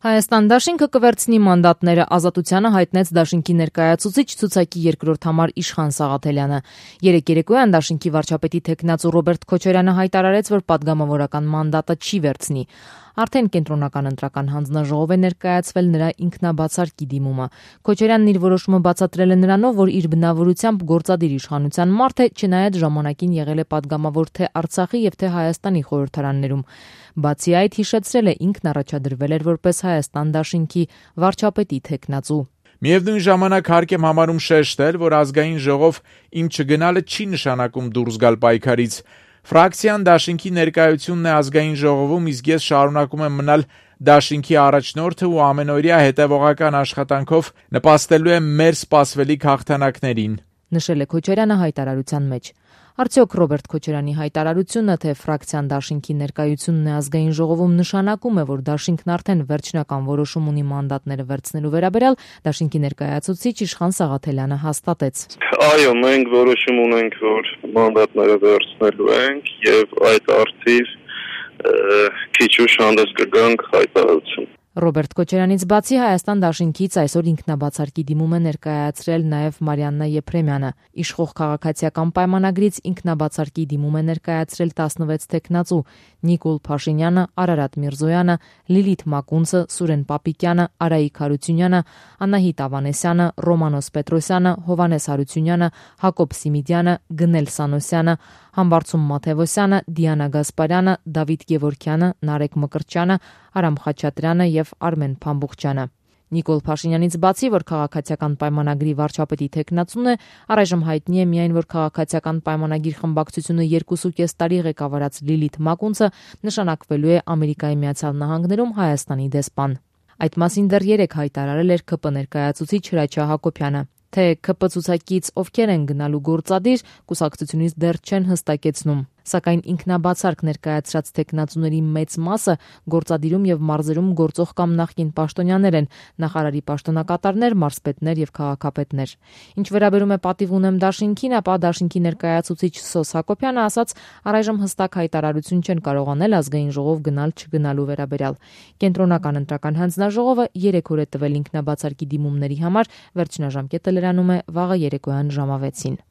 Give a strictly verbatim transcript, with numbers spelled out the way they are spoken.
Հայաստան դաշինքը կվերցնի մանդատները, Ազատությանը հայտնեց դաշինքի ներկայացուցիչ ցուցակի երկրորդ համար Իշխան Սաղաթելյանը։ Երեկ երեկոյան դաշինքի վարչապետի թեկնածու Ռոբերտ Քոչարյանը հայտարարեց, որ պատգամավորական մանդատը չի վերցնի։ Արդեն կենտրոնական ընտրական հանձնաժողով է ներկայացվել նրա ինքնաբացարկի դիմումը։ Քոչարյանն իր որոշումը բացատրել է նրանով, որ իր բնավորությամբ գործադիր իշխանության մարդ է, չնայած ժամանակին եղել է պատգամավոր թե Արցախի եւ թե Հայաստանի խորհրդարաններում։ Բացի այդ, հիշեցրել է, ինքն առաջադրվել էր որպես Հայաստան դաշինքի վարչապետի թեկնածու։ Միևնույն ժամանակ հարկ եմ համարում շեշտել, որ ազգային ժողով իմ չգնալը չի նշանակում դուրս գալ պայքարից։ Ֆրակցիան դաշինքի ներկայությունն է ազգային ժողովում, իսկ ես շարունակում եմ մնալ դաշինքի առաջնորդը ու ամենօրյա հետևողական աշխատանքով նպաստելու եմ մեր սպասվելիք հաղթանակներին, նշել է Քոչարյանը հայտարարության մեջ։ Արդյոք Ռոբերտ Քոչարյանի հայտարարությունը, թե ֆրակցիան դաշինքի ներկայությունն է ազգային ժողովում, նշանակում է, որ դաշինքն արդեն վերջնական որոշում ունի մանդատները վերցնելու վերաբերյալ, դաշինքի ներկայացուցիչ Իշխան Սաղաթելյանը հաստատեց։ Այո, մենք որոշում ունենք, որ մանդատները վերցնելու ենք եւ այդ արդիվ քիչ ուշ հանդես կգանք հայտարարություն։ Ռոբերտ Քոչարյանից բացի Հայաստան դաշինքից այսօր ինքնաբացարկի դիմում է ներկայացրել նաև Մարիաննա Եփրեմյանը։ Իշխող քաղաքացիական պայմանագրից ինքնաբացարկի դիմում է ներկայացրել տասնվեց թեկնածու՝ Նիկոլ Փաշինյանը, Արարատ Միրզոյանը, Լիլիթ Մակունցը, Սուրեն Պապիկյանը, Արայիկ Հարությունյանը, Անահիտ Ավանեսյանը, Ռոմանոս Պետրոսյանը, Հովանես Հարությունյանը, Հակոբ Սիմիդյանը, Գնել Սանոսյանը, Համբարձում Մաթևոսյանը, Դիանա Գասպարյանը, Դավիթ Գևորգյանը, Նարեկ Մկրտչյանը, Արամ Խաչատրյանը եւ Արմեն Փամբուխչյանը։ Նիկոլ Փաշինյանից բացի, որ քաղաքացիական պայմանագրի վարչապետի թեկնածուն է, առայժմ հայտնի է միայն, որ քաղաքացիական պայմանագիր խմբակցությունը երկուսուկես տարի ղեկավարած Լիլիթ Մակունցը նշանակվելու է Ամերիկայի Միացյալ Նահանգներում Հայաստանի դեսպան։ Այդ մասին դեռ երեկ հայտարարել էր ՔՊ ներկայացուցիչ Հրաչյա Հակոբյանը։ Թե ՔՊ ցուցակից ովքեր են գնալու գործադիր, կուսակցությունից դեռ չեն հստակեցնում, սակայն ինքնաբացարկ ներկայացրած թեկնածուների մեծ մասը գործադիրում եւ մարզերում գործող կամ նախկին պաշտոնյաներ են, նախարարի պաշտոնակատարներ, մարզպետներ եւ քաղաքապետներ։ Ինչ վերաբերում է պատիվ ունեմ դաշինքին, ապա դաշինքի ներկայացուցիչ Սոս Հակոբյանը ասաց, առայժմ հստակ հայտարարություն չեն կարողանել ազգային ժողով գնալ-չգնալու վերաբերյալ։ Կենտրոնական ընտրական հանձնաժողովը երեք օր է տվել ինքնաբացարկի դիմումների համար, վերջնաժամկետը լրանում է վաղը երեկոյան ժամը վեցին։